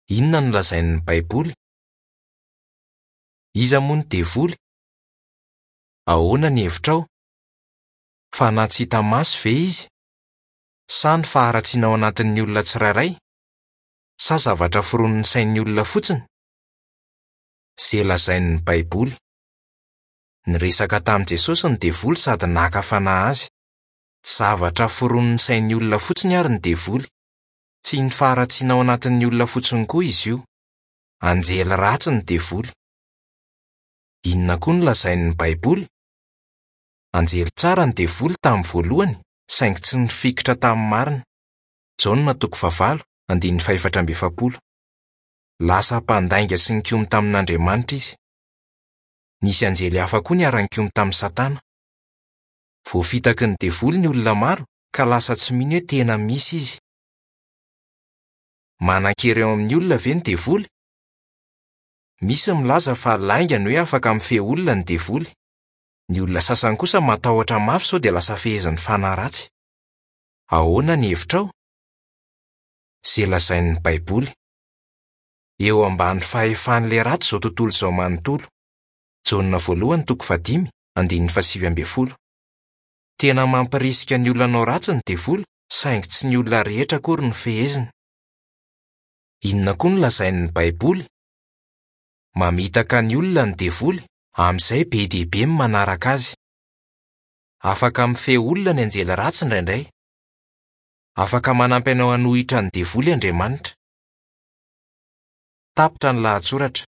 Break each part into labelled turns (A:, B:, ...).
A: Inona no lazain'ny Baiboly? Iza moa ny Devoly? Ahoana ny hevitrao? Fanahy tsy hita maso ve izy? Sa ny faharatsiana ao anatin'ny olona tsirairay? Sa zavatra foronin'ny sain'ny olona fotsiny? Izay lazain'ny Baiboly. Niresaka tamin'i Jesosy ny Devoly sady naka fanahy azy. Tsy zavatra foronin'ny sain'ny olona fotsiny àry ny Devoly. Tsy ny faharatsiana ao anatin'ny olona fotsiny koa izy io. Anjely ratsy ny Devoly. Inona koa no lazain'ny Baiboly? Anjely tsara ny Devoly tamin'ny voalohany, saingy tsy nifikitra tamin'ny marina. Jaona toko fahavalo, andininy fahefatra amby efapolo. Lasa mpandainga sy nikomy tamin'Andriamanitra izy. Nisy anjely hafa koa niara-nikomy tamin'i Satana. Voafitaky ny Devoly ny olona maro ka lasa tsy mino hoe tena misy izy. Manan-kery eo amin'ny olona ve ny Devoly? Misy milaza fa lainga ny hoe afaka mifehy olona ny Devoly. Ny olona sasany kosa matahotra mafy sao dia lasa fehezin'ny fanahy ratsy. Ahoana ny hevitrao? Izay lazain'ny Baiboly. Eo ambany fahefan'ilay ratsy izao tontolo izao manontolo. Jaona voalohany toko fahadimy, andininy fahasivy ambin'ny folo. Tena mampirisika ny olona hanao ratsy ny Devoly, saingy tsy ny olona rehetra akory no feheziny. Inona koa no lazain'ny Baiboly? Mamitaka ny olona ny Devoly, amin'izay be dia be ny manaraka azy. Afaka mifehy olona ny anjely ratsy indraindray. Afaka manampy anao hanohitra ny Devoly Andriamanitra. Tapitra ny lahatsoratra.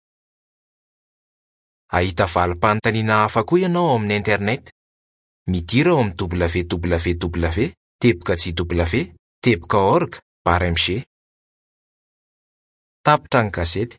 A: Hahita valim-panontaniana hafa koa ianao ao amin'ny Internet. Midira ao amin'ny www teboka jw teboka org barre mg. Tapitra ny gazety.